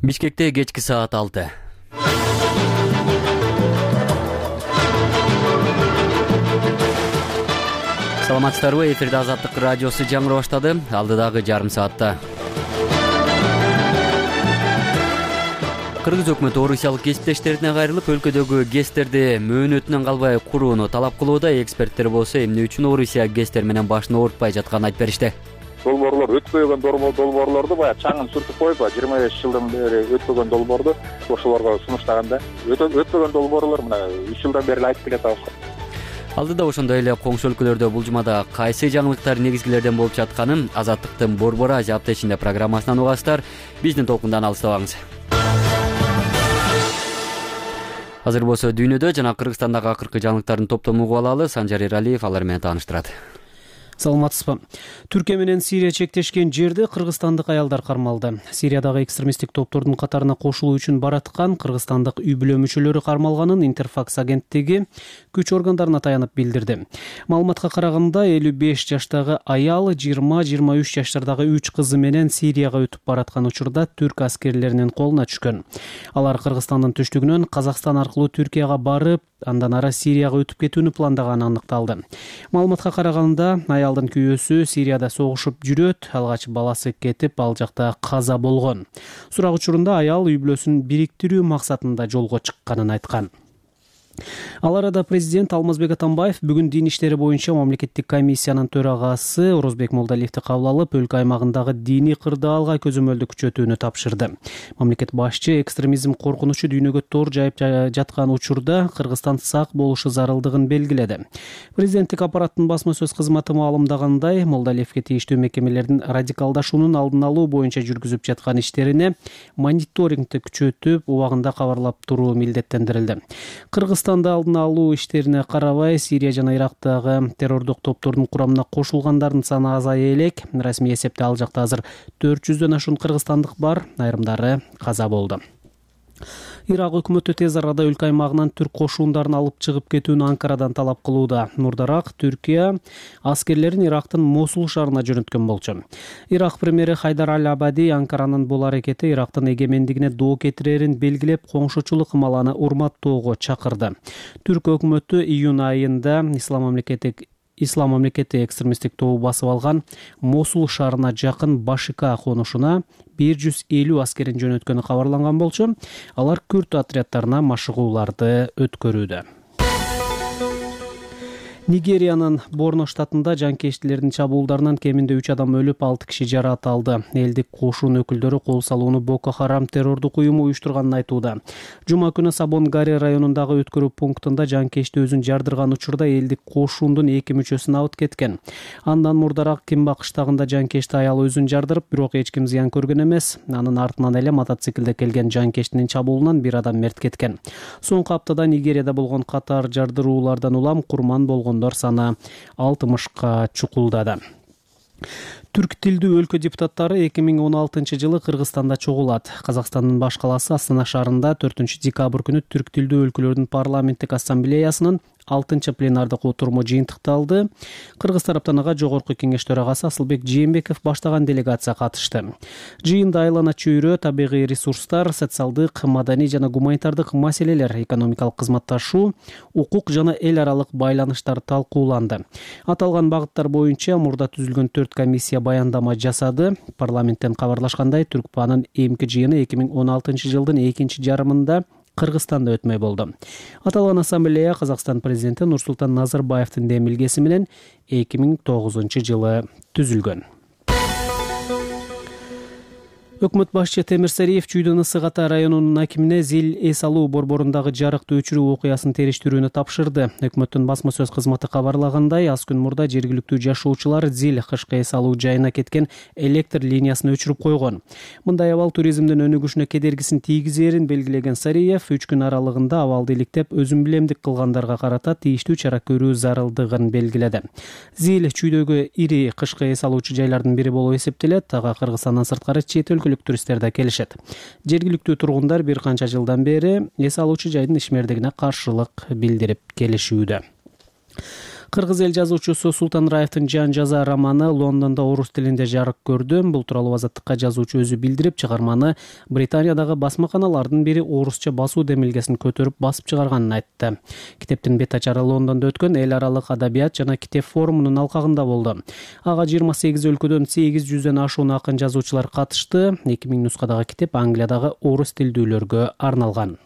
Бишкекте кечки саат 6. Саламатсыздарбы? Эфирде Азаттык радиосу жаңыры баштады. Алдыдагы жарым саатта Кыргыз өкмөтү орусиялык кесиптештерине кайрылып, өлкөдөгү ГЭСтерди мөөнөтүнөн калбай курууну талап кылууда. Эксперттер болсо эмне үчүн Орусия ГЭСтер менен башын оорутпай жатканын айтып беришти. Долбоорлор өтпөгөн долбоорлорду баягы чаңын сүртүп коюп, 25 жылдан бери өтпөгөн долбоорду ошолорго сунуштаганда, өтпөгөн долбоорлор мына 3 жылдан бери айтып келатабыз. Алдыда ошондой эле коңшу өлкөлөрдө бул жумада кайсы жаңылыктар негизгилерден болуп жатканын Азаттыктын Борбор Азия аптечинде программасынан угасыздар. Биздин толкундан алыстабаңыз. Азыр болсо дүйнөдө жана Кыргызстандагы акыркы жаңылыктардын топтомун угуп алалы. Санжар Эралиев алар менен тааныштырат. Саламатсызбы? Түркия менен Сирия чектешкен жерде кыргызстандык аялдар кармалды. Сириядагы экстремисттик топтордун катарына кошулуу үчүн бараткан кыргызстандык үй-бүлө мүчөлөрү кармалганын Интерфакс агенттиги күч органдарына таянып билдирди. Маалыматка караганда 55 жаштагы аял 20-23 жаштардагы 3 кызы менен Сирияга өтүп бараткан учурда түрк аскерлеринин колуна түшкөн. Алар Кыргызстандын түштүгүнөн Казакстан аркылуу Түркияга барып, андан ары Сирияга өтүп кетүүнү пландаганы аныкталды. Маалыматка караганда аялдын күйөөсү Сирияда согушуп жүрөт, алгач баласы кетип, ал жакта каза болгон. Сурак учурунда аял үй-бүлөсүн бириктирүү максатында жолго чыкканын айткан. Ал арада президент Алмазбек Атамбаев бүгүн дин иштери боюнча мамлекеттик комиссиянын төрагасы Орозбек Молдалиевди кабыл алып, өлкө аймагындагы диний кырдаалга көзөмөлдү күчөтүүнү тапшырды. Мамлекет башчы экстремизм коркунучу дүйнөгө тор жайып жаткан учурда Кыргызстан сак болушу зарылдыгын белгиледи. Президенттик аппараттын басма сөз кызматы маалымдагандай, Молдалиевге тийиштүү мекемелердин радикалдашуунун алдын алуу боюнча жүргүзүп жаткан иштерине мониторингди күчөтүп, убагында кабарлап туруу милдеттендирилди. Кыргызстанда алдын алуу иштерине карабай, Сирия жана Ирактагы террордук топтордун курамына кошулгандардын саны азая элек. Расмий эсепте ал жакта азыр 400дөн ашуун кыргызстандык бар, айрымдары каза болду. Ирак өкмөтү тез арада өлкө аймагынан түрк кошуундарын алып чыгып кетүүнү Анкарадан талап кылууда. Мурдараак Түркия аскерлерин Ирактын Мосул шаарына жөнөткөн болчу. Ирак премьери Хайдар Аль-Абади Анкаранын бул аракети Ирактын эгемендигине доо кетирерин белгилеп, коңшучулук ымаланы урматтоого чакырды. Түрк өкмөтү июнь айында Ислам мамлекети экстремисттик тобу басып алган Мосул шаарына жакын Башика конушуна 150 аскерин жөнөткөнү кабарланган болчу. Алар күрд отряддарына машыгууларды өткөрүүдө. Нигериянын Борно штатында жанкечтилердин чабуулдарынан кеминде 3 адам өлүп, 6 киши жаракат алды. Элдик кошун өкүлдөрү кол салууну Боко Харам террордук уюму уюштурганын айтууда. Жума күнү Сабон-Гари районундагы өткөрүү пунктунда жанкечти өзүн жардырган учурда элдик кошундун 2 мүчөсүн алып кеткен. Андан мурдараак Кимба кыштагында жанкечти аял өзүн жардырып, бирок эч ким зыян көргөн эмес. Анын артынан эле мотоциклде келген жанкечтинин чабуулунан бир адам мерт кеткен. Соңку аптада Нигерияда болгон катар жардыруулардан улам курман болгон саны 60ка чукулдады. Түрк тилдүү өлкө депутаттары 2016 жылы Кыргызстанда чогулат. Казакстандын баш калаасы Астана шаарында 4 декабрь күнү түрк тилдүү өлкөлөрдүн парламенттик ассамблеясынын 6 пленардык отуруму жыйынтыкталды. Кыргыз тараптан ага Жогорку кеңеш төрагасы Асылбек Жээнбеков баштаган делегация катышты. Жыйында айлана чөйрө, табигый ресурстар, социалдык, маданий жана гуманитардык маселелер, экономикалык кызматташуу, укук жана эл аралык байланыштар талкууланды. Аталган багыттар боюнча мурда түзүлгөн 4 комиссия баяндама жасады. Парламенттен кабарлашкандай, Түркпанын эмки жыйыны 2016 жылдын экинчи жарымында Кыргызстанда өтмөй болду. Аталган ассамблея Казакстан президенти Нурсултан Назарбаевдин демилгеси менен 2009 жылы түзүлгөн. Өкмөт башчы Темир Сариев Чүйдөн Ысык Ата районунун акимине Зил эс алуу борборундагы жарыкты өчүрүү окуясын териштирүүнү тапшырды. Өкмөттүн басма сөз кызматы кабарлагандай, аз күн мурда жергиликтүү жашоочулар Зил кышкы эс алуу жайына кеткен электр линиясын өчүрүп койгон. Мындай абал туризмдин өнүгүшүнө кедергисин тийгизерин белгилеген Сариев 3 күн аралыгында абалды иликтеп, өзүмбилемдик кылгандарга карата тийиштүү чара көрүү зарылдыгын белгиледи. Зил Чүйдөгү ири кышкы эс алуучу жайлардын бири болуп эсептелет. Ага Кыргызстандан сырткары чет туристтер да келишет. Жергиликтүү тургундар бир канча жылдан бери эс алуучу жайдын ишмердигине каршылык билдирип келишүүдө. Кыргыз эл жазуучусу Султан Раевдин жан жаза романы Лондондо орус тилинде жарык көрдү. Бул тууралуу Азаттыкка жазуучу өзү билдирип, чыгарманы Британиядагы басмаканалардын бири орусча басуу демилгесин көтөрүп басып чыгарганын айтты. Китептин бет ачары Лондондо өткөн эл аралык адабият жана китеп форумунун алкагында болду. Ага 28 өлкөдөн 800дөн ашуун акын жазуучулар катышты. 2000 нускадагы китеп Англиядагы орус тилдүүлөргө арналган.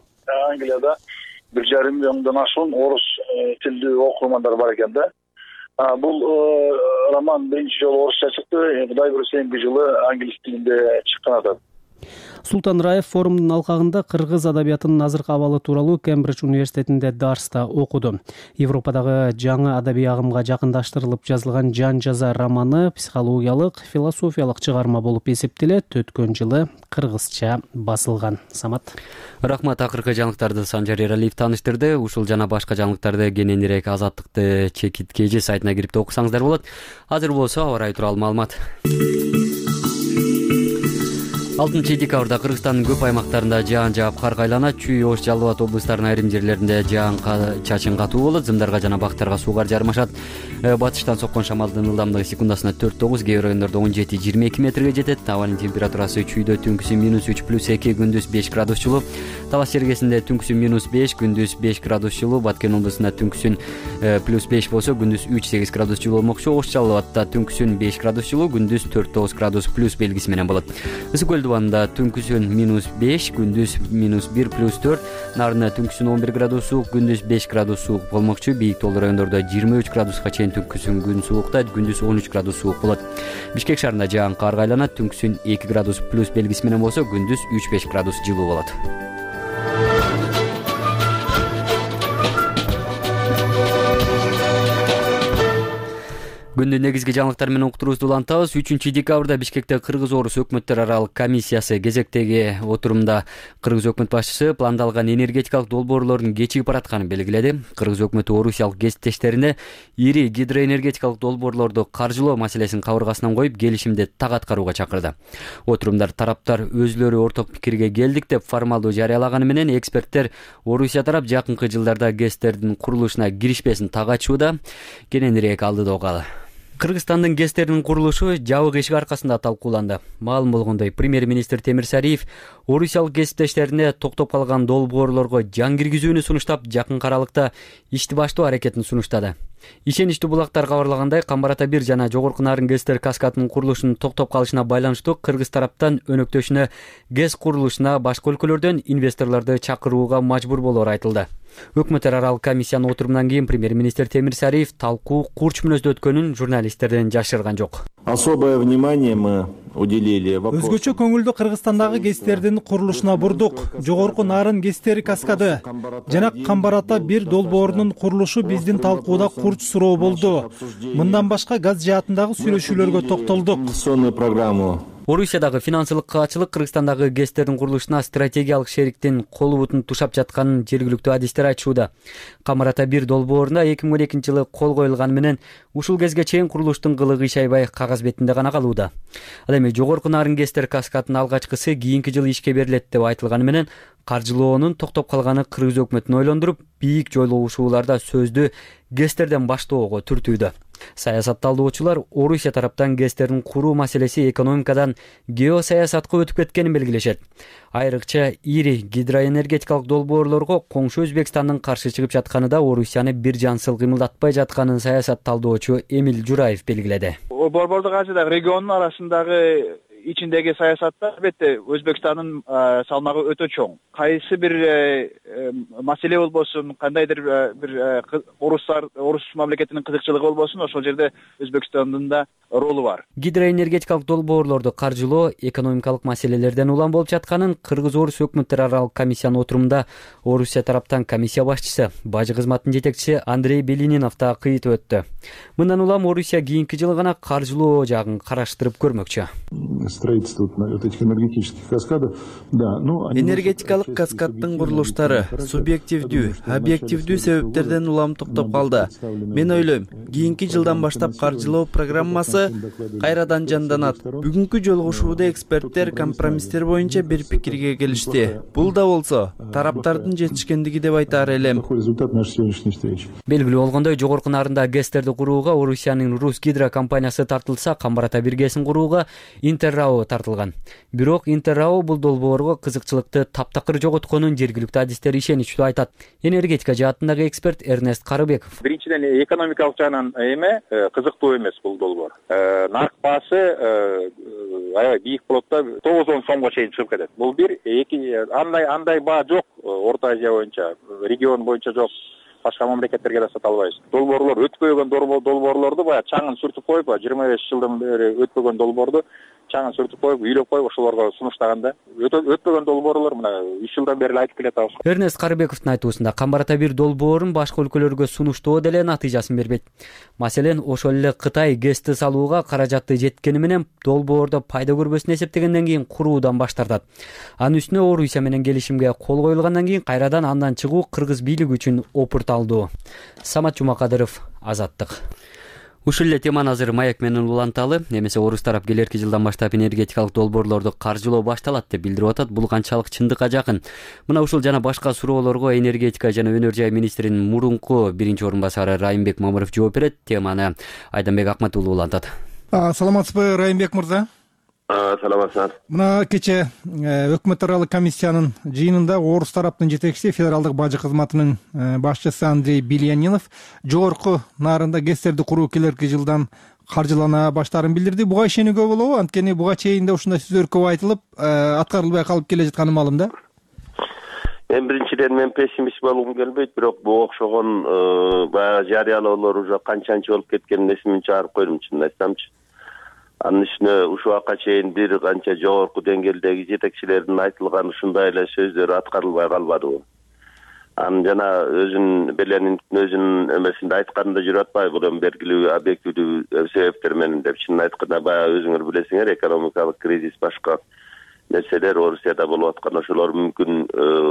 Англияда 1,5 миллиондон ашуун орус тилдүү окурмандар бар экен да. Бул роман биринчи жолу орусча чыкты. Кудай буйруса эмки жылы англис тилинде чыккан атат. Султан Раев форумдун алкагында кыргыз адабиятынын азыркы абалы тууралуу Кембридж университетинде дарста окуду. Европадагы жаңы адабий агымга жакындаштырылып жазылган жан жаза романы психологиялык, философиялык чыгарма болуп эсептелет. Өткөн жылы кыргызча басылган. Самат. Рахмат. Акыркы жаңылыктарды Санжар Эралиев тааныштырды. Ушул жана башка жаңылыктарды кененирээк Азаттыкты чекиткеji сайтына кирип окусаңыздар болот. Азыр болсо аба ырайы тууралуу маалымат. 6 декабрда Кыргызстандын көп аймактарында жаан жаап кар кайланат. Чүй, Ош, Жалал Абад облустарынын айрым жерлеринде жаан чачын катуу болот. Зымдарга жана бактарга суугар жармашат. Батыштан соккон шамалдын ылдамдыгы секундасына 4-9, кээ бир райондордо 17-22 метрге жетет. Абанын температурасы чүйдө түнкүсү -3 +2, күндүз 5 градус жылуу. Талас жергесинде түнкүсү -5, күндүз 5 градус жылуу. Баткен облусунда түнкүсүн +5 болсо, күндүз 3-8 градус жылуу болмокчу. Ош, Жалал Абадта түнкүсүн 5 градус жылуу, күндүз 4-9 градус плюс белгиси менен болот. Ысык көл дубанында түнкүсүн -5, күндүз -1 +4, Нарында түнкүсүн 11 градус суук, күндүз 5 градус суук болмокчу. Бийик тоолуу райондордо 23 градуска чейин түнкүсүн күн сууктайт, күндүз 13 градус суук болот. Бишкек шаарында жаан кар кайланат, түнкүсүн 2 градус плюс белгиси менен болсо, күндүз 3-5 градус жылуу болот. Күндүн негизги жаңылыктар менен уктуруубузду улантабыз. 3 декабрда Бишкекте Кыргыз-Орус өкмөттөр аралык комиссиясы кезектеги отурумда Кыргыз өкмөт башчысы пландалган энергетикалык долбоорлордун кечигип баратканын белгиледи. Кыргыз өкмөтү орусиялык кесиптештерине ири гидроэнергетикалык долбоорлорду каржылоо маселесин кабыргасынан коюп, келишимди так аткарууга чакырды. Отурумда тараптар өзүлөрү орток пикирге келдик деп формалдуу жарыялаганы менен, эксперттер Орусия тарап жакынкы жылдарда ГЭСтердин курулушуна киришпесин так айтууда. Кененирээк алдыда угалы. Кыргызстандын ГЭСтердин курулушу жабык эшик аркасында талкууланды. Маалым болгондой, премьер-министр Темир Сариев орусиялык кесиптештерине токтоп калган долбоорлорго жан киргизүүнү сунуштап, жакын аралыкта ишти баштоо аракетин сунуштады. Ишеничтүү булактар кабарлагандай, Камбар Ата 1 жана Жогорку Нарын ГЭСтер каскадынын курулушунун токтоп калышына байланыштуу Кыргыз тараптан өнөктөшүнө ГЭС курулушуна башка өлкөлөрдөн инвесторлорду чакырууга мажбур болоору айтылды. Өкмөттөр аралык комиссиянын отурумунан кийин премьер-министр Темир Сариев талкуу курч мүнөздө өткөнүн журналисттерден жашырган жок. Особое внимание мы уделили вопросу. Өзгөчө көңүлдү Кыргызстандагы ГЭСтердин курулушуна бурдук. Жогорку Нарын ГЭСтери каскады жана Камбар Ата 1 долбоорунун курулушу биздин талкууда курч суроо болду. Мындан башка газ жаатындагы сүйлөшүүлөргө токтолдук. Программу. Орусиядагы финансылык каачылык Кыргызстандагы ГЭСтердин курулушуна стратегиялык шериктин колу бутун тушап жатканын жергиликтүү адистер айтышууда. Камбар Ата 1 долбооруна 2012 жылы кол коюлганы менен ушул кезге чейин курулуштун кылыгы иш аябай кагаз бетинде гана калууда. Ал эми Жогорку Нарын ГЭСтер каскадынын алгачкысы кийинки жылы ишке берилет деп айтылганы менен, каржылоонун токтоп калганы Кыргыз өкмөтүн ойлондуруп, бийик жойлогушууларда сөздү ГЭСтерден баштоого түртүүдө. Саясатталуучулар Орусия тараптан ГЭСтердин куруу маселеси экономикадан геосаясатка өтүп кеткенин белгилешет. Айрыкча ири гидроэнергетикалык долбоорлорго коңшу Өзбекстандын каршы чыгып жатканы да Орусияны бир жансыл кыймылдатпай жатканын саясатталуучу Эмил Жураев белгиледи. Борбордук Азиядагы региондун арасындагы ичиндеги саясатта албетте Өзбекстандын салмагы өтө чоң. Кайсы бир маселе болбосун, кандайдыр бир орус мамлекетинин кызыкчылыгы болбосун, ошол жерде Өзбекстандын да ролу бар. Гидроэнергетикалык долбоорлорду каржылоо экономикалык маселелерден улам болуп жатканын Кыргыз-Орус өкмөттөр аралык комиссиянын отурумунда Орусия тараптан комиссия башчысы, бажы кызматынын жетекчиси Андрей Белининов да кыйтып өттү. Мындан улам Орусия кийинки жылы гана каржылоо жагын караштырып көрмөкчү. строительство вот этих энергетических каскадов. Да, энергетикалык каскаддын курулуштары субъективдүү, объективдүү себептерден улам токтоп калды. Мен ойлойм, кийинки жылдан баштап каржылоо программасы кайрадан жанданат. Бүгүнкү жолугушууда эксперттер компромисстер боюнча бир пикирге келишти. Бул да болсо тараптардын жетишкендиги деп айтаар элем. Результат нашей сегодняшней встречи. Белгилүү болгондой, жогорку нарында ГЭСтерди курууга Орусиянын Русгидро компаниясы тартылса, Камбарата биргесин курууга Интеррао тартылган. Бирок Интеррао бул долбоорго кызыкчылыкты таптакыр жоготконун жергиликтүү адистер ишеничтүү айтат. Энергетика жаатындагы эксперт Эрнест Карыбеков. Биринчиден экономикалык жагынан кызыктуу эмес бул долбоор. Нарк баасы аябай бийик болот да, 9-10 сомго чейин чыгып кетет. Бул бир, эки андай баа жок Орто Азия боюнча, регион боюнча жок. Башка мамлекеттерге да сата албайбыз. Долбоорлор өтпөгөн долбоорлорду баягы чаңын сүртүп коюп, 25 жылдан бери өтпөгөн долбоорду чаңын сүртүп коюп, үйлөп коюп ошолорго сунуштаганда өтпөгөн долбоорлор мына 3 жылдан бери айтып келатабыз. Эрнест Карыбековдун айтуусунда Камбарата 1 долбоорун башка өлкөлөргө сунуштоо деле натыйжасын бербейт. Маселен, ошол эле Кытай ГЭСти салууга каражаты жеткени менен долбоордо пайда көрбөсүн эсептегенден кийин куруудан баш тартат. Анын үстүнө Орусия менен келишимге кол коюлгандан кийин кайрадан андан чыгуу кыргыз бийлиги үчүн опурталдуу. Самат Жумакадыров, Азаттык. Ушул эле теманы азыр Маек менен уланталы. Эмесе орус тарап келерки жылдан баштап энергетикалык долбоорлорду каржылоо башталат деп билдирип атат. Бул канчалык чындыкка жакын? Мына ушул жана башка суроолорго энергетика жана өнөр жай министринин мурунку биринчи орун басары Райымбек Мамыров жооп берет. Теманы Айданбек Акматов улантат. Саламатсызбы, Райымбек мырза? Саламатсыздар. Мына кече өкмөт аралык комиссиянын жыйынында орус тараптын жетекчиси, федералдык бажы кызматынын башчысы Андрей Бильянинов жогорку нарында ГЭСтерди куруу келерки жылдан каржылана баштаарын билдирди. Буга ишенүүгө болобу? Анткени буга чейин да ушундай сөздөр көп айтылып, аткарылбай калып келе жатканы маалым да. Биринчиден мен пессимист болгум келбейт, бирок буга окшогон баягы жарыялоолор уже канчанчы болуп кеткенин эсимден чыгарып койдум, чынын айтсамчы. Анын үстүнө ушул убакка чейин бир канча жогорку деңгээлдеги жетекчилердин айтылган ушундай эле сөздөр аткарылбай калбадыбы. Анын жана өзүнүн эмесинде айтканында жүрүп атпайбы, бул эми белгилүү объективдүү себептер менен деп. Чынын айтканда баягы өзүңөр билесиңер, экономикалык кризис башка нерселер Орусияда болуп аткан, ошолор мүмкүн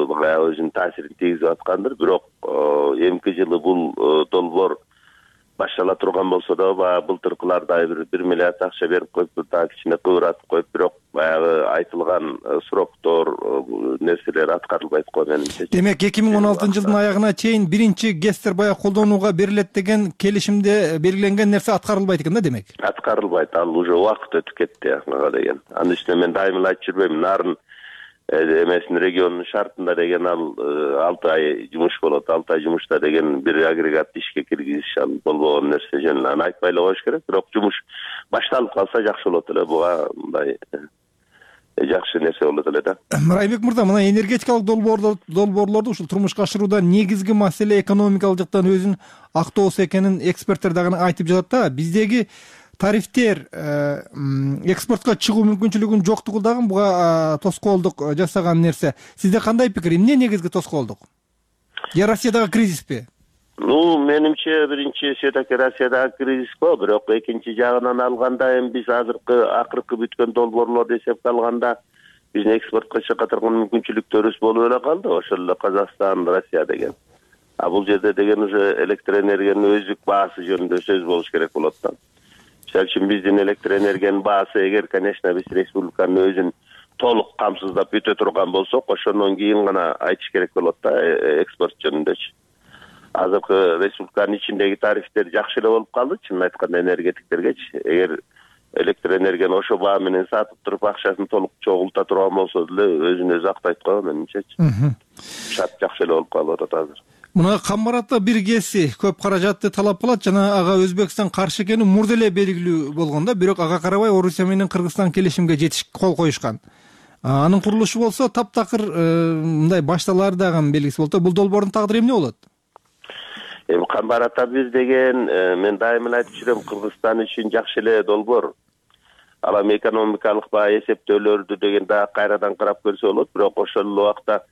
баягы өзүнүн таасирин тийгизип аткандыр. Бирок эмки жылы бул долбоор баштала турган болсо да, баягы былтыркылардай 1 миллиард акча берип коюп, дагы кичине кыбыратып коюп, бирок баягы айтылган сроктор, нерселер аткарылбайт го менимче. Демек 2016-жылдын аягына чейин биринчи ГЭСтер баягы колдонууга берилет деген келишимде белгиленген нерсе аткарылбайт экен да, демек? Аткарылбайт, ал уже убакыт өтүп кетти ага деген. Анын үстүнө мен дайыма айтып жүрбөйм, нарын эмесин региондун шартында деген ал 6 ай жумуш болот, 6 ай жумушта деген бир агрегат ишке киргизиш ал болбогон нерсе жөн эле. Аны айтпай эле коюш керек, бирок жумуш башталып калса жакшы болот эле, буга мындай жакшы нерсе болот эле да. Райымбек мырза, мына энергетикалык долбоорлорду ушул турмушка ашырууда негизги маселе экономикалык жактан өзүн актоосу экенин эксперттер дагы айтып жатат да. Биздеги тарифтер экспортко чыгуу мүмкүнчүлүгүнүн жоктугу дагы буга тоскоолдук жасаган нерсе. Сизде кандай пикир? Эмне негизги тоскоолдук? Же Россиядагы кризиспи? Менимче биринчи все-таки Россиядагы кризис го, бирок экинчи жагынан алганда эми биз акыркы бүткөн долбоорлорду эсепке алганда биздин экспортко чыга турган мүмкүнчүлүктөрүбүз болуп эле калды, ошол эле Казакстан, Россия деген. А бул жерде деген уже электр энергиянын өздүк баасы жөнүндө сөз болуш керек болот да. Мисалы үчүн биздин электр энергиянын баасы эгер, конечно, биз республиканын өзүн толук камсыздап бүтө турган болсок, ошондон кийин гана айтыш керек болот да экспорт жөнүндөчү. Азыркы республиканын ичиндеги тарифтер жакшы эле болуп калды, чынын айтканда энергетиктергечи. Эгер электр энергияны ошо баа менен сатып туруп акчасын толук чогулта турган болсо деле өзүн өзү актайт го менимчечи. Шарт жакшы эле болуп калып атат азыр. Мына Камбарата 1 ГЭСи көп каражатты талап кылат жана ага Өзбекстан каршы экени мурда эле белгилүү болгон да, бирок ага карабай Орусия менен Кыргызстан келишимге кол коюшкан. Анын курулушу болсо таптакыр мындай башталары дагы белгисиз болот. Бул долбоордун тагдыры эмне болот? Эми Камбарата 1 деген мен дайыма айтып жүрөм, Кыргызстан үчүн жакшы эле долбоор. Ал эми экономикалык баягы эсептөөлөрдү деген дагы кайрадан карап көрсө болот, бирок ошол эле убакта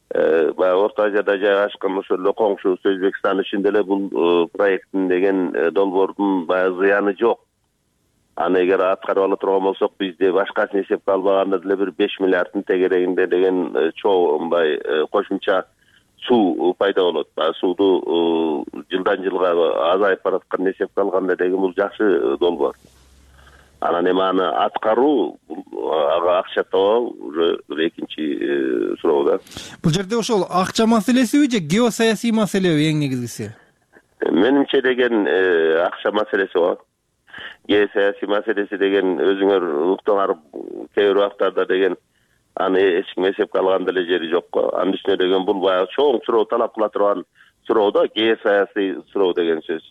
баягы Орто Азияда жайгашкан ошол эле коңшубуз Өзбекстан үчүн деле бул проекттин деген долбоордун баягы зыяны жок. Аны эгер аткарып ала турган болсок, бизде башкасын эсепке албаганда деле бир 5 миллиарддын тегерегинде деген чоңбай кошумча суу пайда болот. Сууду жылдан жылга азайып бараткан эсепке алганда деген бул жакшы долбоор. Анан эми аны аткаруу, ага акча табуу уже экинчи суроо да. Бул жерде ошол акча маселесиби же геосаясий маселеби эң негизгиси? Менимче деген акча маселеси го. Геосаясий маселеси деген өзүңөр уктуңар кээ бир убактарда деген аны эч ким эсепке алган деле жери жок го. Анын үстүнө деген бул баягы чоң суроо талап кыла турган суроо да, геосаясий суроо деген сөз.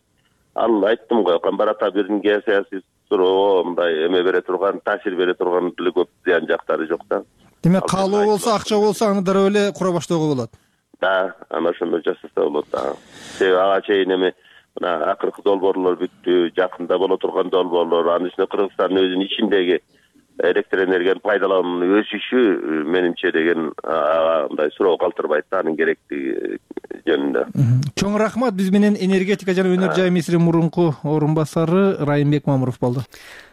Ал айттым го, Камбарата бирдин геосаясий суроо мындай эме бере турган, таасир бере турган деле көп зыян жактары жок да. Демек каалоо болсо, акча болсо аны дароо эле кура баштоого болот. Да, ана ошондой жасаса болот да. Себеби ага чейин эми мына акыркы долбоорлор бүттү, жакында боло турган долбоорлор, анын үстүнө Кыргызстандын өзүнүн ичиндеги электр энергиянын пайдалануунун өсүшү менимче деген мындай суроо калтырбайт да, анын керектиги жөнүндө. Чоң рахмат. Биз менен энергетика жана өнөр жай министринин мурунку орун басары Райымбек Мамыров болду.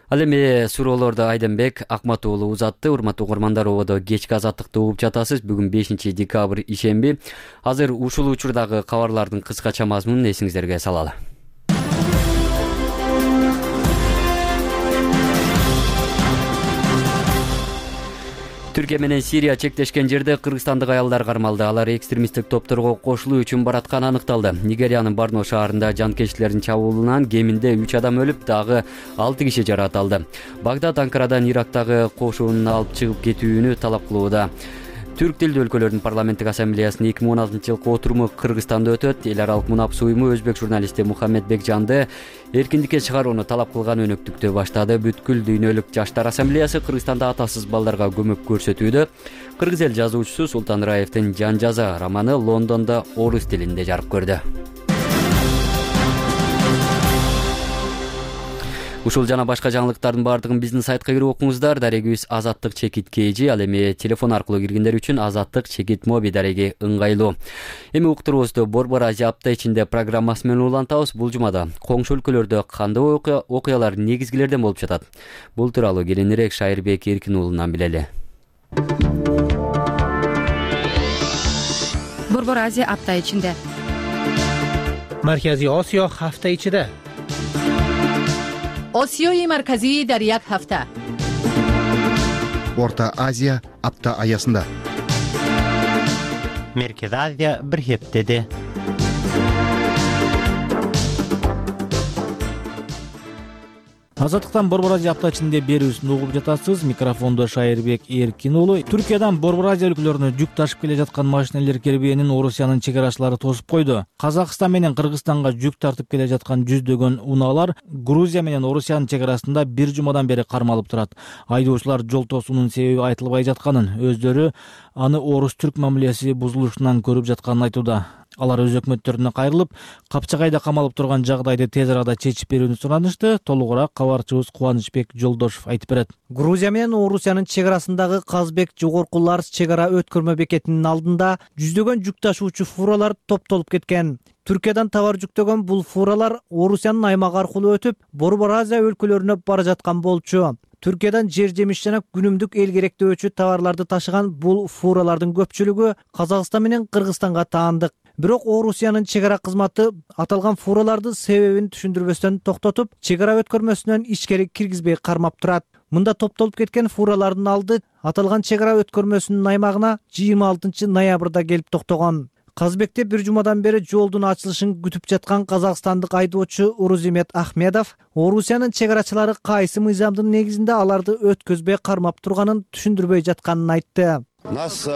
Ал эми суроолорду Айденбек Акмат уулу узатты. Урматтуу угармандар, ободо кечки азаттыкты угуп жатасыз. Бүгүн 5 декабрь ишемби. Азыр ушул учурдагы кабарлардын кыскача мазмунун эсиңиздерге салалы. Түркия менен Сирия чектешкен жерде кыргызстандык аялдар кармалды. Алар экстремисттик топторго кошулуу үчүн баратканы аныкталды. Нигериянын Барно шаарында жанкечтилердин чабуулунан кеминде 3 адам өлүп, дагы 6 киши жаракат алды. Багдад Анкарадан Ирактагы кошуунун алып чыгып кетүүнү талап кылууда. Түрк тилдүү өлкөлөрдүн парламенттик ассамблеясынын 2016-жылкы отуруму Кыргызстанда өтөт. Эл аралык мунапс уюму өзбек журналисти Мухаммед Бекжанды эркиндикке чыгарууну талап кылган өнөктүктү баштады. Бүткүл дүйнөлүк жаштар ассамблеясы Кыргызстанда атасыз балдарга көмөк көрсөтүүдө. Кыргыз эл жазуучусу Султан Раевдин Жан жаза романы Лондондо орус тилинде жарык көрдү. Ушул жана башка жаңылыктардын баардыгын биздин сайтка кирип окуңуздар. Дарегибиз Азаттык чекит KG, ал эми телефон аркылуу киргендер үчүн Азаттык чекит моби дареги ыңгайлуу. Эми уктуруубузду Борбор Азия апта ичинде программасы менен улантабыз. Бул жумада коңшу өлкөлөрдө кандай окуялар негизгилерден болуп жатат? Бул тууралуу кийинирээк Шайырбек Эркин уулунан билели. Борбор Азия апта ичинде. Маркази Осиё ҳафта ичиде. Осиёи марказии дар як ҳафта. Орта Азия апта аясында. Меркез Азия бир хептеде. Азаттыктан Борбор Азия апта ичинде берүүсүн угуп жатасыз. Микрофондо Шайырбек Эркин уулу. Түркиядан Борбор Азия өлкөлөрүнө жүк ташып келе жаткан машинелер кирбээнин Орусиянын чек арачылары тосуп койду. Казакстан менен Кыргызстанга жүк тартып келе жаткан жүздөгөн унаалар Грузия менен Орусиянын чек арасында бир жумадан бери кармалып турат. Айдоочулар жол тосуунун себеби айтылбай жатканын, өздөрү аны орус-түрк мамилеси бузулушунан көрүп жатканын айтууда. Алар өз өкмөттөрүнө кайрылып, Капчагайда камалып турган жагдайды тез арада чечип берүүнү суранышты. Толугураак кабарчыбыз Кубанычбек Жолдошов айтып берет. Грузия менен Орусиянын чек арасындагы Казбек жогорку Ларс чек ара өткөрмө бекетинин алдында жүздөгөн жүк ташуучу фуралар топтолуп кеткен. Түркиядан товар жүктөгөн бул фуралар Орусиянын аймагы аркылуу өтүп, Борбор Азия өлкөлөрүнө бара жаткан болчу. Түркиядан жер жемиш жана күнүмдүк эл керектөөчү товарларды ташыган бул фуралардын көпчүлүгү Казакстан менен Кыргызстанга таандык. Бирок Орусиянын чек ара кызматы аталган фураларды себебин түшүндүрбөстөн токтотуп, чек ара өткөрмөсүнөн ичкери киргизбей кармап турат. Мында топтолуп кеткен фуралардын алды аталган чек ара өткөрмөсүнүн аймагына 26 ноябрда келип токтогон. Казбекте бир жумадан бери жолдун ачылышын күтүп жаткан казакстандык айдоочу Урузимет Ахмедов Орусиянын чек арачылары кайсы мыйзамдын негизинде аларды өткөзбөй кармап турганын түшүндүрбөй жатканын айтты. Нас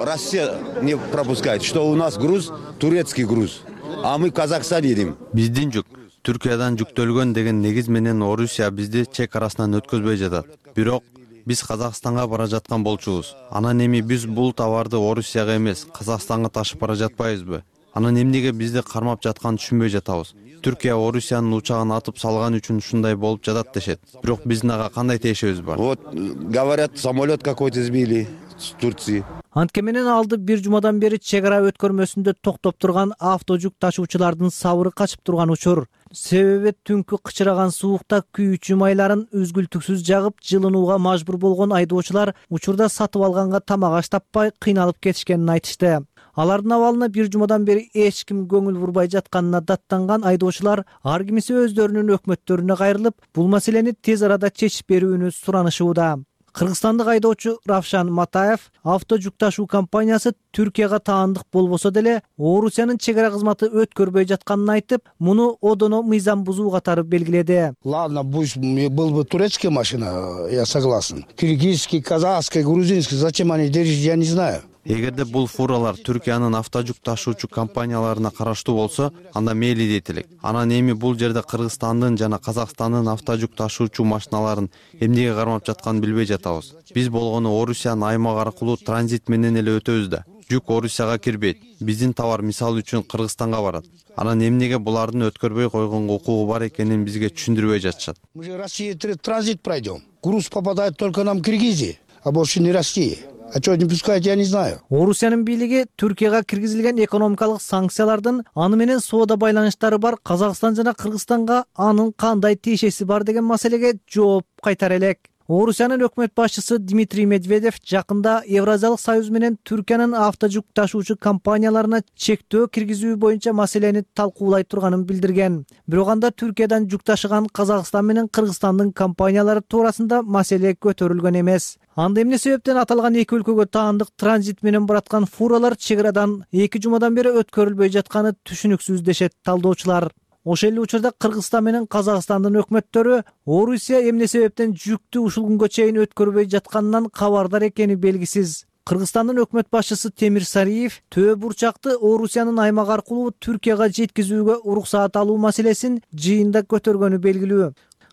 Россия не пропускает, что у нас груз турецкий груз, а мы в Казахстане едем. Биздин жүк Түркиядан жүктөлгөн деген негиз менен Орусия бизди чек арасынан өткөзбөй жатат. Бирок биз Казакстанга бара жаткан болчубуз. Анан эми биз бул товарды Орусияга эмес, Казакстанга ташып бара жатпайбызбы? Анан эмнеге бизди кармап жатканын түшүнбөй жатабыз. Түркия Орусиянын учагын атып салган үчүн ушундай болуп жатат дешет. Бирок биздин ага кандай тиешебиз бар? Вот говорят, самолет какой-то сбили. с Турции. Антке менен алды бир жумадан бери чек ара өткөрмөсүндө токтоп турган авто жүк ташуучулардын сабыры качып турган учур. Себеби түнкү кычыраган суукта күйүүчү майларын үзгүлтүксүз жагып жылынууга мажбур болгон айдоочулар учурда сатып алганга тамак аш таппай кыйналып кетишкенин айтышты. Алардын абалына бир жумадан бери эч ким көңүл бурбай жатканына даттанган айдоочулар ар кимиси өздөрүнүн өкмөттөрүнө кайрылып, бул маселени тез арада чечип берүүнү суранышууда. Кыргызстандык айдоочу Равшан Матаев авто жүк ташуу компаниясы Түркияга таандык болбосо деле Орусиянын чек ара кызматы өткөрбөй жатканын айтып, муну одоно мыйзам бузуу катары белгиледи. Ладно, пусть был бы турецкая машина, я согласен. Киргизский, казахский, грузинский, зачем они держат, я не знаю. Эгерде бул фуралар Түркиянын авто жүк ташуучу компанияларына караштуу болсо, анда мейли дейт элек. Анан эми бул жерде Кыргызстандын жана Казакстандын авто жүк ташуучу машиналарын эмнеге кармап жатканын билбей жатабыз. Биз болгону Орусиянын аймак аркылуу транзит менен эле өтөбүз да. Жүк Орусияга кирбейт. Биздин товар мисалы үчүн Кыргызстанга барат. Анан эмнеге булардын өткөрбөй койгонго укугу бар экенин бизге түшүндүрбөй жатышат. Мы же Россия транзит пройдем. Груз попадает только нам в Киргизии, а больше не Россия. А что не пускают, я не знаю. Орусиянын бийлиги Түркияга киргизилген экономикалык санкциялардын аны менен соода байланыштары бар Казакстан жана Кыргызстанга анын кандай тиешеси бар деген маселеге жооп кайтара элек. Орусиянын өкмөт башчысы Дмитрий Медведев жакында Евразиялык союз менен Түркиянын авто жүк ташуучу компанияларына чектөө киргизүү боюнча маселени талкуулай турганын билдирген. Бирок анда Түркиядан жүк ташыган Казакстан менен Кыргызстандын компаниялары туурасында маселе көтөрүлгөн эмес. Анда эмне себептен аталган эки өлкөгө таандык транзит менен бараткан фуралар чек арадан 2 жумадан бери өткөрүлбөй жатканы түшүнүксүз дешет талдоочулар. Ошол эле учурда Кыргызстан менен Казакстандын өкмөттөрү Орусия эмне себептен жүктү ушул күнгө чейин өткөрбөй жатканынан кабардар экени белгисиз. Кыргызстандын өкмөт башчысы Темир Сариев Төө бурчакты Орусиянын аймак аркылуу Түркияга жеткизүүгө уруксаат алуу маселесин жыйында көтөргөнү белгилүү.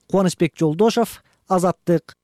Кубанычбек Жолдошов, Азаттык.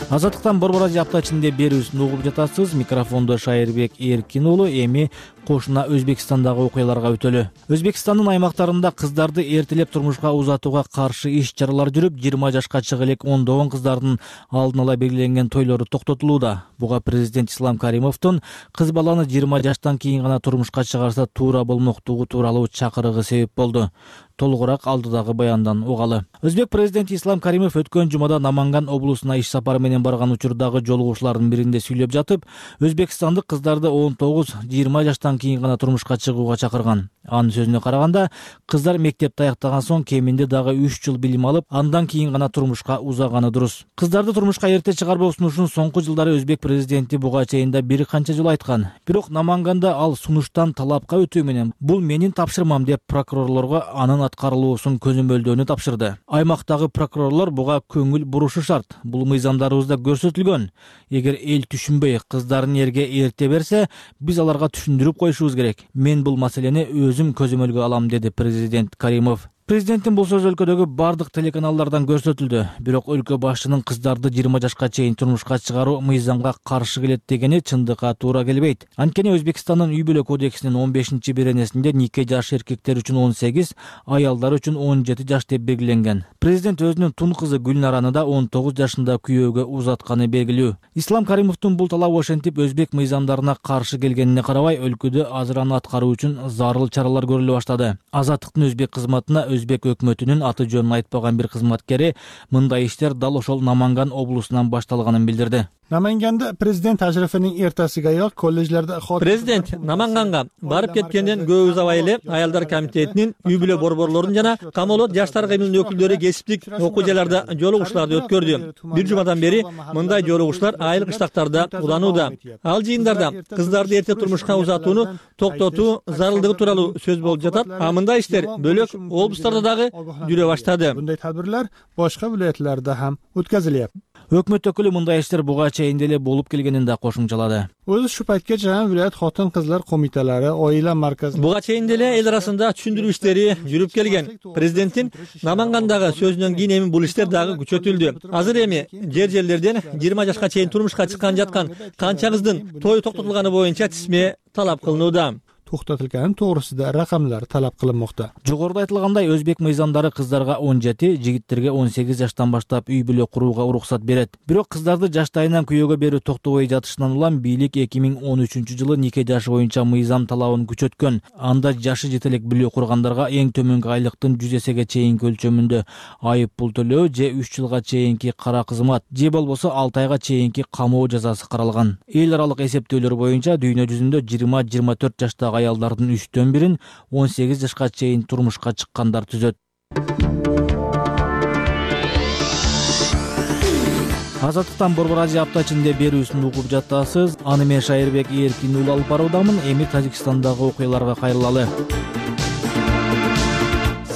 Азаттыктан Борбор Радио апта ичинде берүүсүн угуп жатасыз. Микрофондо Шайырбек Эркин уулу. Эми кошуна Өзбекстандагы окуяларга өтөлү. Өзбекстандын аймактарында кыздарды эртелеп турмушка узатууга каршы иш-чаралар жүрүп, 20 жашка чыга элек ондогон кыздардын алдын ала белгиленген тойлору токтотулууда. Буга президент Ислам Каримовдун кыз баланы 20 жаштан кийин гана турмушка чыгарса туура болмоктугу тууралуу чакырыгы себеп болду. Толугураак алдыдагы баяндан угалы. Өзбек президенти Ислам Каримов өткөн жумада Наманган облусуна иш сапары менен барган учурдагы жолугушуулардын биринде сүйлөп жатып, өзбекстандык кыздарды 19-20 жаштан кийин гана турмушка чыгууга чакырган. Анын сөзүнө караганда, кыздар мектепти аяктаган соң кеминде дагы 3 жыл билим алып, андан кийин гана турмушка узаганы дурус. Кыздарды турмушка эрте чыгарбоо сунушун соңку жылдары өзбек президенти буга чейин да бир канча жолу айткан. Бирок Наманганда ал сунуштан талапка өтүү менен бул менин тапшырмам деп прокурорлорго анын аткарылуусун көзөмөлдөөнү тапшырды. Аймактагы прокурорлор буга көңүл бурушу шарт. Бул мыйзамдарыбызда көрсөтүлгөн. Эгер эл түшүнбөй кыздарын эрге эрте берсе, биз аларга түшүндүрүп коюшубуз керек. Мен бул маселени өзүм көзөмөлгө алам, деди президент Каримов. Президенттин бул сөзү өлкөдөгү бардык телеканалдардан көрсөтүлдү. Бирок өлкө башчынын кыздарды 20 жашка чейин турмушка чыгаруу мыйзамга каршы келет дегени чындыкка туура келбейт. Анткени Өзбекстандын үй бүлө кодексинин 15-беренесинде нике жашы эркектер үчүн 18, аялдар үчүн 17 жаш деп белгиленген. Президент өзүнүн тун кызы Гүлнараны да 19 жашында күйөөгө узатканы белгилүү. Ислам Каримовдун бул талабы ошентип өзбек мыйзамдарына каршы келгенине карабай, өлкөдө азыр аны аткаруу үчүн зарыл чаралар көрүлө баштады. Азаттыктын өзбек кызматына Өзбек өкмөтүнүн аты жөнүн айтпаган бир кызматкери мындай иштер дал ошол Наманган облусунан башталганын билдирди. Наманганда президент тажрифинин эртесигаyoq колледжлерде Президент Наманганга барып кеткенден көп узабай эле аялдар комитетинин, үй бүлө борборлорунун жана камолот жаштар кыймылынын өкүлдөрү кесиптик окуу жайларда жолугушууларды өткөрдү. Бир жумадан бери мындай жолугушуулар айыл кыштактарда уланууда. Ал жыйындарда кыздарды эрте турмушка узатууну токтотуу зарылдыгы тууралуу сөз болуп жатат. А мындай иштер бөлөк облустарда дагы жүрө баштады. Мындай тадбирлер башка вилаятларда ham өткөзүлөт. Өкмөт өкүлү мындай иштер буга чейин деле болуп келгенин да кошумчалады. Өзү ушу пайтка чейин вилаят хотун кызлар комителери, оила марказы буга чейин деле эл арасында түшүндүрүү иштери жүрүп келген. Президенттин Намангандагы сөзүнөн кийин эми бул иштер дагы күчөтүлдү. Азыр эми жер-жерлерден 20 жашка чейин турмушка чыккан жаткан канча кыздын тою токтотулганы боюнча тизме талап кылынууда. токтотулгани тоогрусунда ракамдар талап кылынмакта. Жогоруда айтылгандай, өзбек мыйзамдары кыздарга 17, жигиттерге 18 жаштан баштап үй бүлө курууга уруксат берет. Бирок кыздарды жаштайынан күйөөгө берүү токтобой жатышынан улам бийлик 2013-жылы нике жашы боюнча мыйзам талабын күчөткөн. Анда жашы жете элек бүлө кургандарга эң төмөнкү айлыктын 100 эсеге чейинки өлчөмүндө айып пул төлөө же 3 жылга чейинки кара кызмат же болбосо 6 айга чейинки камоо жазасы каралган. Эл аралык эсептөөлөр боюнча дүйнө жүзүндө 20-24 жаштагы аялдардын 3төн бирин 18 жашка чейин турмушка чыккандар түзөт. Азаттыктан Борбор Азия апта ичинде берүүсүн угуп жатасыз. Аны мен Шайырбек Эркин уулу алып баруудамын. Эми Тажикстандагы окуяларга кайрылалы.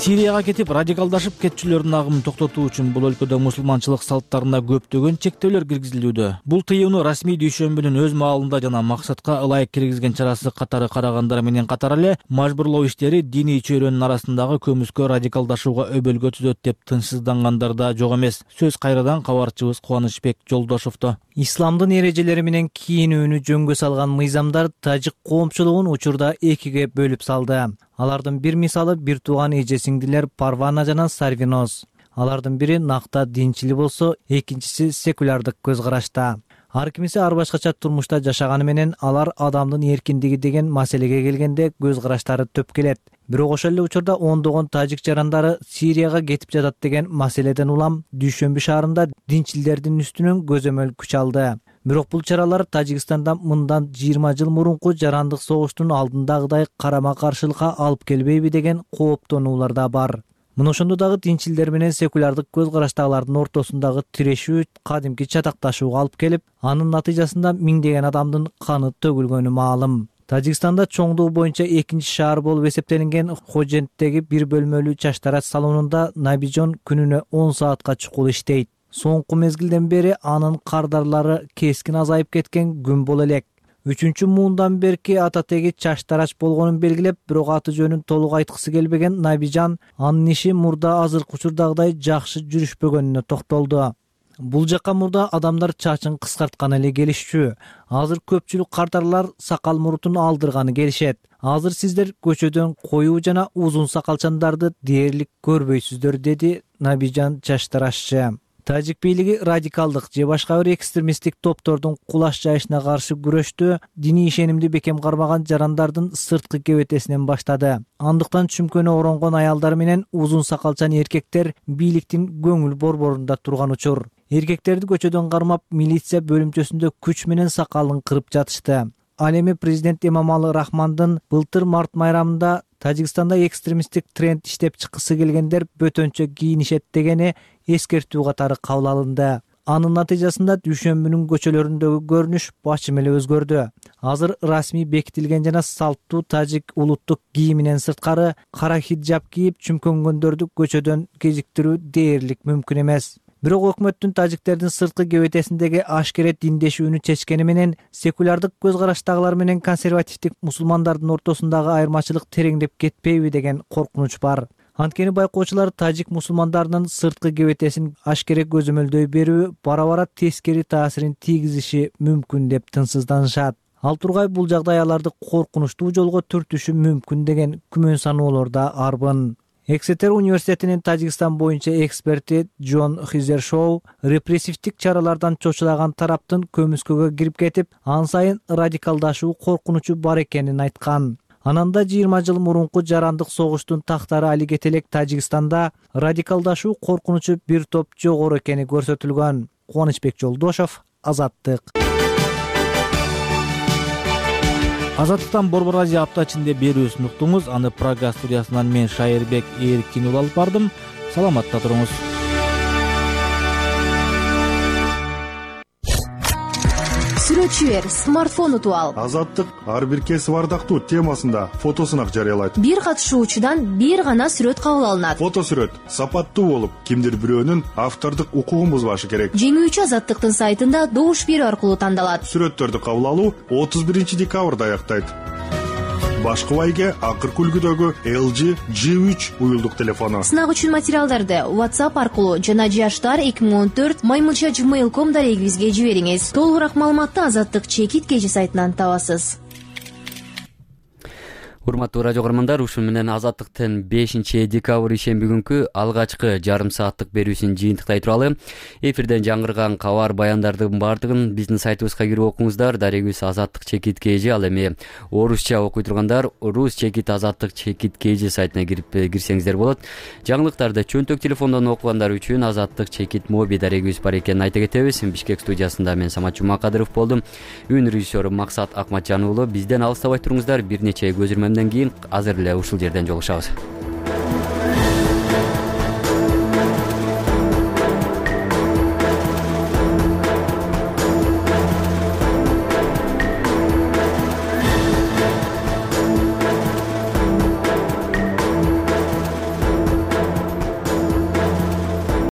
Сирияга кетип радикалдашып кетчүлөрдүн агымын токтотуу үчүн бул өлкөдө мусулманчылык салттарына көптөгөн чектөөлөр киргизилүүдө. Бул тыюуну расмий дүйшөмбүнүн өз маалында жана максатка ылайык киргизген чарасы катары карагандар менен катар эле мажбурлоо иштери диний чөйрөнүн арасындагы көмүскө радикалдашууга өбөлгө түзөт деп тынчсыздангандар да жок эмес. Сөз кайрадан кабарчыбыз Кубанычбек Жолдошовдо. Исламдын эрежелери менен кийинүүнү жөнгө салган мыйзамдар тажик коомчулугун учурда экиге бөлүп салды. Алардын бир мисалы бир тууган эже сиңдилер Парвана жана Сарвиноз. Алардын бири накта динчил болсо, экинчиси секулярдык көз карашта. Ар кимиси ар башкача турмушта жашаганы менен алар адамдын эркиндиги деген маселеге келгенде көз караштары төп келет. Бирок ошол эле учурда ондогон тажик жарандары Сирияга кетип жатат деген маселеден улам Дүйшөмбү шаарында динчилдердин үстүнөн көзөмөл күч алды. Бирок бул чаралар Тажикстанда мындан 20 жыл мурунку жарандык согуштун алдындагыдай карама каршылыкка алып келбейби деген кооптонуулар да бар. Мына ошондо дагы динчилдер менен секулярдык көз караштагылардын ортосундагы тирешүү кадимки чатакташууга алып келип, анын натыйжасында миңдеген адамдын каны төгүлгөнү маалым. Тажикстанда чоңдугу боюнча экинчи шаар болуп эсептелинген Ходженттеги бир бөлмөлүү чачтарач салонунда Набижон күнүнө 10 саатка чукул иштейт. Соңку мезгилден бери анын кардарлары кескин азайып кеткен күн боло элек. 3 муундан берки ататеги чачтарач болгонун белгилеп, бирок аты жөнүн толук айткысы келбеген Набижан анын иши мурда азыркы учурдагыдай жакшы жүрүшпөгөнүнө токтолду. Бул жакка мурда адамдар чачын кыскартканы эле келишчү. Азыр көпчүлүк кардарлар сакал мурутун алдырганы келишет. Азыр сиздер көчөдөн коюу жана узун сакалчандарды дээрлик көрбөйсүздөр, деди Набижан чачтарашчы. Тажик бийлиги радикалдык же башка бир экстремисттик топтордун кулаш жайышына каршы күрөштү диний ишенимди бекем кармаган жарандардын сырткы кебетесинен баштады. Андыктан чүмкөнү оронгон аялдар менен узун сакалчан эркектер бийликтин көңүл борборунда турган учур. Эркектерди көчөдөн кармап, милиция бөлүмчөсүндө күч менен сакалын кырып жатышты. Ал эми президент Эмомали Рахмандын былтыр март майрамында Тажикстанда экстремисттик тренд иштеп чыккысы келгендер бөтөнчө кийинишет дегени эскертүү катары кабыл алынды. Анын натыйжасында Дүйшөмбүнүн көчөлөрүндөгү көрүнүш бачым эле өзгөрдү. Азыр расмий бекитилген жана салттуу тажик улуттук кийиминен сырткары кара хиджаб кийип чүмкөнгөндөрдү көчөдөн кезиктирүү дээрлик мүмкүн эмес. Бирок өкмөттүн тажиктердин сырткы кебетесиндеги ашкере диндешүүнү чечкени менен секулярдык көз караштагылар менен консервативдик мусулмандардын ортосундагы айырмачылык тереңдеп кетпейби деген коркунуч бар. Анткени байкоочулар тажик мусулмандарынын сырткы кебетесин ашкере көзөмөлдөй берүү бара-бара тескери таасирин тийгизиши мүмкүн деп тынчсызданышат. Ал тургай бул жагдай аларды коркунучтуу жолго түртүшү мүмкүн деген күмөн саноолор да арбын. Эксетер университетинин Тажикстан боюнча эксперти Джон Хизершоу репрессивдик чаралардан чочулаган тараптын көмүскөгө кирип кетип, ан сайын радикалдашуу коркунучу бар экенин айткан. Ананда 20 жыл мурунку жарандык согуштун тактары али кете элек Тажикстанда радикалдашуу коркунучу бир топ жогору экени көрсөтүлгөн. Кубанычбек Жолдошов, Азаттык. Азаттыктан Борбор Азия апта ичинде берүүсүн уктуңуз. Аны Прага студиясынан мен Шайырбек Эркин уулу алып бардым. Саламатта туруңуз. Сүрөтчү бер, смартфон утуп ал. Азаттык ар бир кесип ардактуу темасында фотосунак жарыялайт. Бир катышуучудан бир гана сүрөт кабыл алынат. Фотосүрөт сапаттуу болуп, кимдир бирөөнүн автордук укугун бузбашы керек. Жеңүүчү Азаттыктын сайтында добуш берүү аркылуу тандалат. Сүрөттөрдү кабыл алуу 31 декабрда аяктайт. Башкы байге акыркы үлгүдөгү LG G3 уюлдук телефону. Сынак үчүн материалдарды WhatsApp аркылуу жана jashtar2014@gmail.com дарегибизге жибериңиз. Толугураак маалыматты Азаттык чекит кежи сайтынан табасыз. Урматтуу радио көрөрмандар, ушун менен Азаттыктын 5-декабрь ишемби күнкү алгачкы жарым сааттык берүүсүн жыйынтыктай туралы. Эфирден жаңырган кабар баяндардын баардыгын биздин сайтыбызга кирип окуңуздар. Дарегибиз Азаттык чекит kg, ал эми орусча окуй тургандар Рус чекит Азаттык чекит kg сайтына кирсеңиздер болот. Жаңылыктарды чөнтөк телефондон окугандар үчүн Азаттык чекит моби дарегибиз бар экенин айта кетебиз. Бишкек студиясында мен Самат Жумакадыров болдум. Үн режиссеру Максат Акматжан уулу. Бизден алыстабай туруңуздар. Бир нече көзүрмөмдөн кийин азыр эле ушул жерден жолугушабыз.